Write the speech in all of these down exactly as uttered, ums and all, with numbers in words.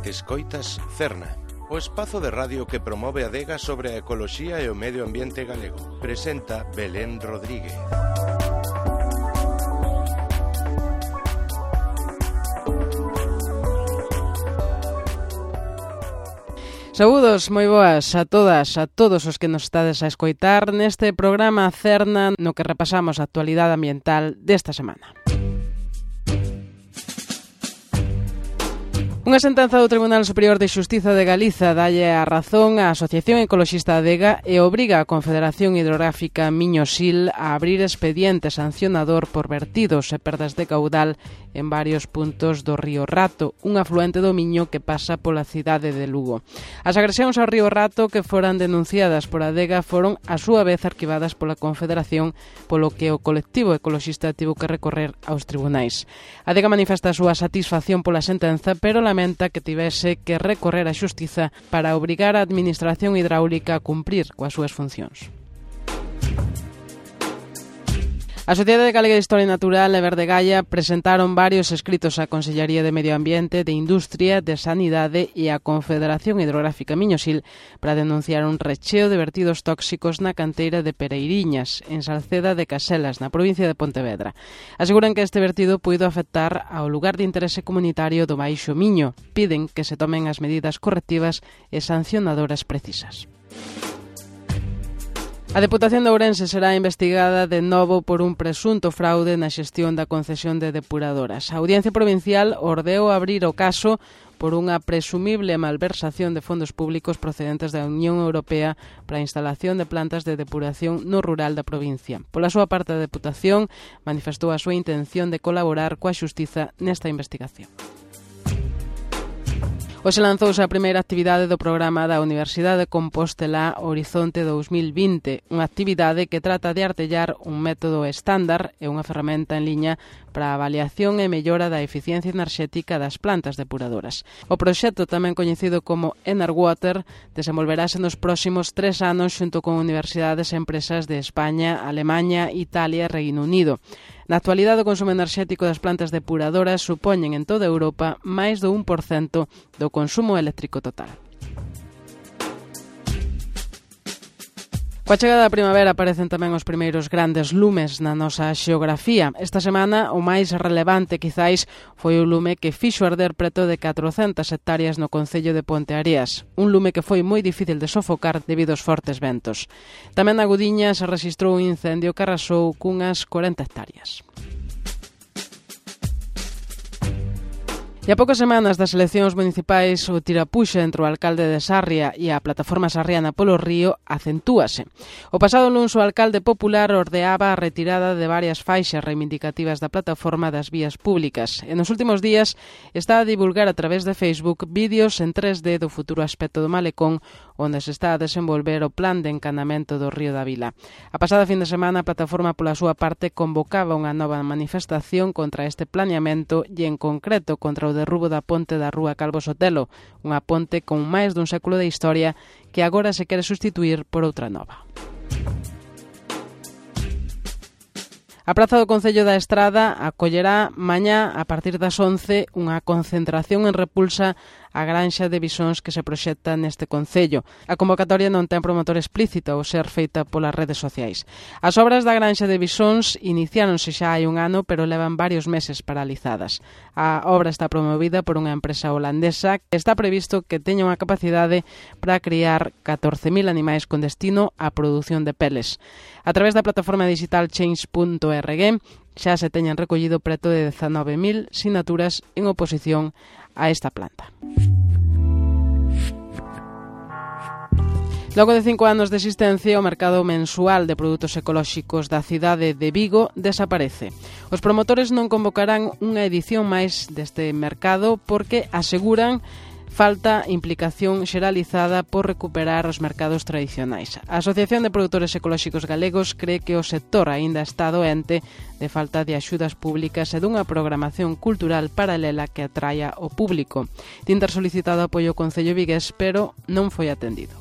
Escoitas Cerna, o espazo de radio que promove a adega sobre a ecoloxía e o medio ambiente galego. Presenta Belén Rodríguez. Saúdos, moi boas a todas, a todos os que nos estades a escoitar neste programa Cerna no que repasamos a actualidade ambiental desta semana. Unha sentenza do Tribunal Superior de Xustiza de Galiza dalle a razón á Asociación Ecoloxista Adega e obriga a Confederación Hidrográfica Miño-Sil a abrir expediente sancionador por vertidos e perdas de caudal en varios puntos do río Rato, un afluente do Miño que pasa pola cidade de Lugo. As agresións ao río Rato que foran denunciadas por Adega foron a súa vez arquivadas pola Confederación, polo que o colectivo ecoloxista tivo que recorrer aos tribunais. Adega manifesta a súa satisfacción pola sentenza, pero lamenta que tivese que recorrer a xustiza para obrigar a Administración Hidráulica a cumprir coas súas funcións. A Sociedade Galega de Historia Natural e Verde Gaia presentaron varios escritos á Consellería de Medio Ambiente, de Industria, de Sanidade e á Confederación Hidrográfica Miño-Sil para denunciar un recheo de vertidos tóxicos na canteira de Pereiriñas, en Salceda de Caselas, na provincia de Pontevedra. Aseguran que este vertido puido afectar ao lugar de interese comunitario do Baixo Miño. Piden que se tomen as medidas correctivas e sancionadoras precisas. A Deputación de Ourense será investigada de novo por un presunto fraude na xestión da concesión de depuradoras. A Audiencia Provincial ordeou abrir o caso por unha presumible malversación de fondos públicos procedentes da Unión Europea para a instalación de plantas de depuración no rural da provincia. Pola súa parte, a Deputación manifestou a súa intención de colaborar coa xustiza nesta investigación. Hoxe lanzouse a primeira actividade do programa da Universidade de Compostela Horizonte dous mil vinte, unha actividade que trata de artellar un método estándar e unha ferramenta en liña para a avaliación e mellora da eficiencia enerxética das plantas depuradoras. O proxecto, tamén coñecido como Enerwater, desenvolverase nos próximos tres anos xunto con universidades e empresas de España, Alemaña, Italia e Reino Unido. Na actualidade, o consumo enerxético das plantas depuradoras supoñen en toda Europa máis do un por cento do consumo eléctrico total. Coa chegada da primavera aparecen tamén os primeiros grandes lumes na nosa xeografía. Esta semana, o máis relevante, quizáis, foi o lume que fixo arder preto de catrocentas hectáreas no concello de Ponteareas. Un lume que foi moi difícil de sofocar debido aos fortes ventos. Tamén na Gudiña se rexistrou un incendio que arrasou cunhas corenta hectáreas. E a poucas semanas das eleccións municipais, o tirapuxa entre o alcalde de Sarria e a plataforma sarriana polo río acentúase. O pasado luns o alcalde popular ordeaba a retirada de varias faixas reivindicativas da plataforma das vías públicas. E nos últimos días está a divulgar a través de Facebook vídeos en tres D do futuro aspecto do malecón, onde se está a desenvolver o plan de encanamento do río da Vila. A pasada fin de semana, a plataforma pola súa parte convocaba unha nova manifestación contra este planeamento e en concreto contra o derrubo da ponte da rúa Calvo Sotelo, unha ponte con máis dun século de historia que agora se quere sustituir por outra nova. A Praza do Concello da Estrada acollerá mañá a partir das once unha concentración en repulsa a granxa de bisóns que se proxecta neste concello. A convocatoria non ten promotor explícito ao ser feita polas redes sociais. As obras da granxa de bisóns iniciáronse xa hai un ano, pero levan varios meses paralizadas. A obra está promovida por unha empresa holandesa que está previsto que teña unha capacidade para criar catorce mil animais con destino á produción de peles. A través da plataforma digital change punto org xa se teñen recollido preto de dezanove mil sinaturas en oposición a esta planta. Logo de cinco anos de existencia, o mercado mensual de produtos ecolóxicos da cidade de Vigo desaparece. Os promotores non convocarán unha edición máis deste mercado porque aseguran falta implicación xeralizada por recuperar os mercados tradicionais. A Asociación de Produtores Ecolóxicos Galegos cree que o sector aínda está doente de falta de axudas públicas e dunha programación cultural paralela que atraia o público. Tin ter solicitado apoio ao Concello vigués, pero non foi atendido.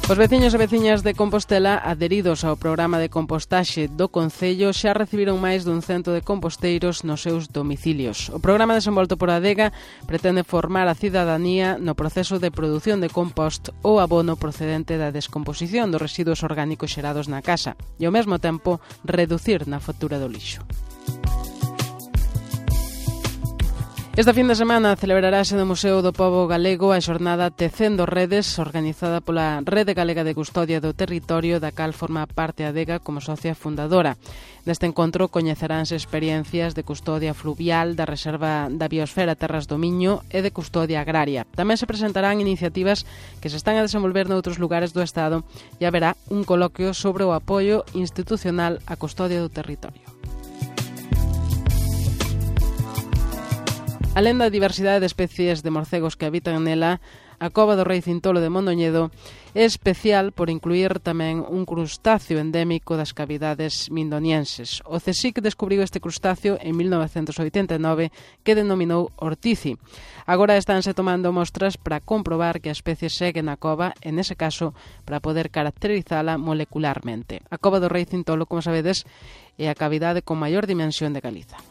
Os veciños e veciñas de Compostela adheridos ao programa de compostaxe do Concello xa recibiron máis dun cento de composteiros nos seus domicilios. O programa desenvolto por Adega pretende formar a cidadanía no proceso de produción de compost ou abono procedente da descomposición dos residuos orgánicos xerados na casa e ao mesmo tempo reducir na factura do lixo. Esta fin de semana celebrarase no Museo do Pobo Galego a xornada Tecendo Redes, organizada pola Rede Galega de Custodia do Territorio, da cal forma parte Adega como socia fundadora. Neste encontro coñeceránse experiencias de custodia fluvial, da Reserva da Biosfera Terras do Miño e de custodia agraria. Tamén se presentarán iniciativas que se están a desenvolver noutros lugares do Estado e haberá un coloquio sobre o apoio institucional á custodia do territorio. Alén da diversidade de especies de morcegos que habitan nela, a Cova do Rei Cintolo de Mondoñedo é especial por incluir tamén un crustáceo endémico das cavidades mindonienses. O CSIC descubriu este crustáceo en mil novecentos oitenta e nove que denominou ortici. Agora estánse tomando mostras para comprobar que a especie segue na cova, en ese caso, para poder caracterizala molecularmente. A Cova do Rei Cintolo, como sabedes, é a cavidade con maior dimensión de Galiza.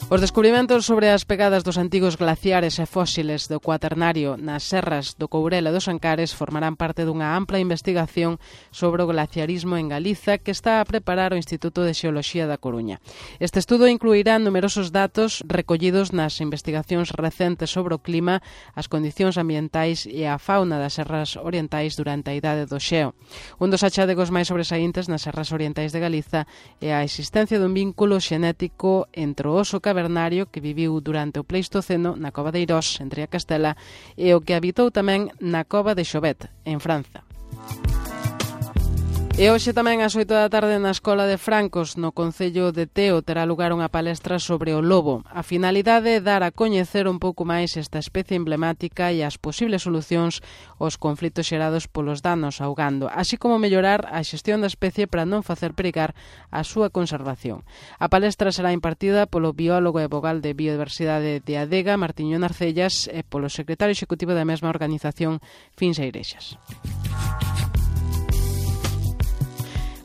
Os descubrimentos sobre as pegadas dos antigos glaciares e fósiles do Cuaternario nas serras do Courel e dos Ancares formarán parte dunha ampla investigación sobre o glaciarismo en Galiza que está a preparar o Instituto de Xeoloxía da Coruña. Este estudo incluirá numerosos datos recollidos nas investigacións recentes sobre o clima, as condicións ambientais e a fauna das serras orientais durante a Idade do Xeo. Un dos achadegos máis sobresaíntes nas serras orientais de Galiza é a existencia dun vínculo xenético entre o oso cavernario que viviu durante o Pleistoceno na Cova de Eirós, en Tria Castela, e o que habitou tamén na Cova de Chauvet, en Franza. E hoxe tamén ás oito da tarde na Escola de Francos, no Concello de Teo, terá lugar unha palestra sobre o lobo. A finalidade é dar a coñecer un pouco máis esta especie emblemática e as posibles solucións aos conflitos xerados polos danos augando, así como mellorar a xestión da especie para non facer perigar a súa conservación. A palestra será impartida polo biólogo e vogal de Biodiversidade de Adega, Martiño Narcellas, e polo secretario executivo da mesma organización, Fins Eirexas.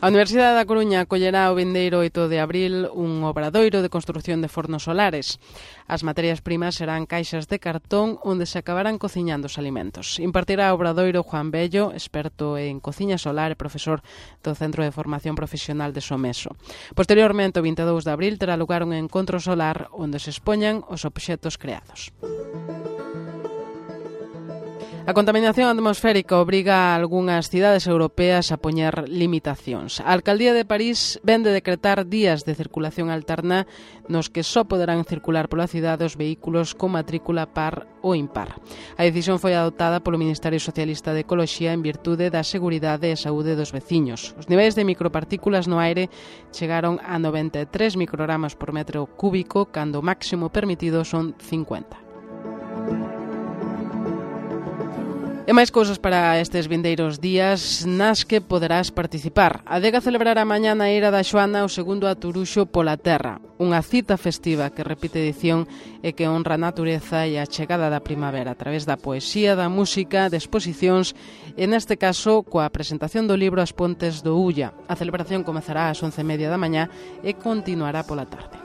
A Universidade da Coruña acollerá o vindeiro oito de abril un obradoiro de construción de fornos solares. As materias primas serán caixas de cartón onde se acabarán cociñando os alimentos. Impartirá o obradoiro Juan Bello, experto en cociña solar e profesor do Centro de Formación Profesional de Someso. Posteriormente, o vinte e dous de abril, terá lugar un encontro solar onde se expoñan os obxectos creados. A contaminación atmosférica obriga a algunhas cidades europeas a poñer limitacións. A Alcaldía de París ven de decretar días de circulación alterna nos que só poderán circular pola cidade os vehículos con matrícula par ou impar. A decisión foi adoptada polo Ministerio Socialista de Ecoloxía en virtude da seguridade e saúde dos veciños. Os niveis de micropartículas no aire chegaron a noventa e tres microgramas por metro cúbico, cando o máximo permitido son cincuenta. E máis cousas para estes vindeiros días nas que poderás participar. A Adega celebrará mañá na Eira da Xoana o segundo Aturuxo pola Terra, unha cita festiva que repite edición e que honra a natureza e a chegada da primavera a través da poesía, da música, de exposicións e neste caso coa presentación do libro As Pontes do Ulla. A celebración comezará ás once e media da mañá e continuará pola tarde.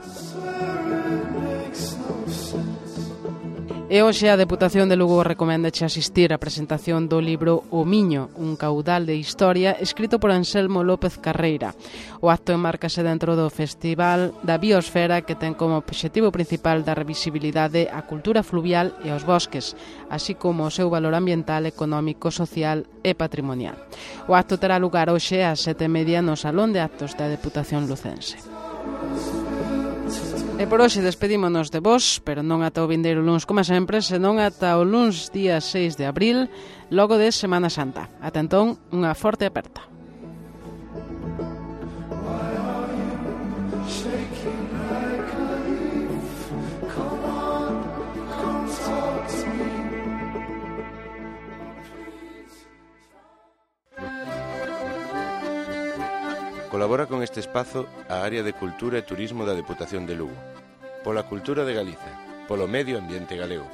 E hoxe a Deputación de Lugo recoméndache asistir á presentación do libro O Miño, un caudal de historia, escrito por Anselmo López Carreira. O acto enmárcase dentro do Festival da Biosfera, que ten como obxectivo principal dar visibilidade á cultura fluvial e aos bosques, así como o seu valor ambiental, económico, social e patrimonial. O acto terá lugar hoxe ás sete e media no Salón de Actos da Deputación Lucense. E por hoxe despedímonos de vos, pero non ata o vindeiro luns como sempre, senón ata o luns día seis de abril, logo de Semana Santa. Ata entón, unha forte aperta. Colabora con este espazo a Área de Cultura e Turismo da Deputación de Lugo. Pola cultura de Galiza, polo medio ambiente galego.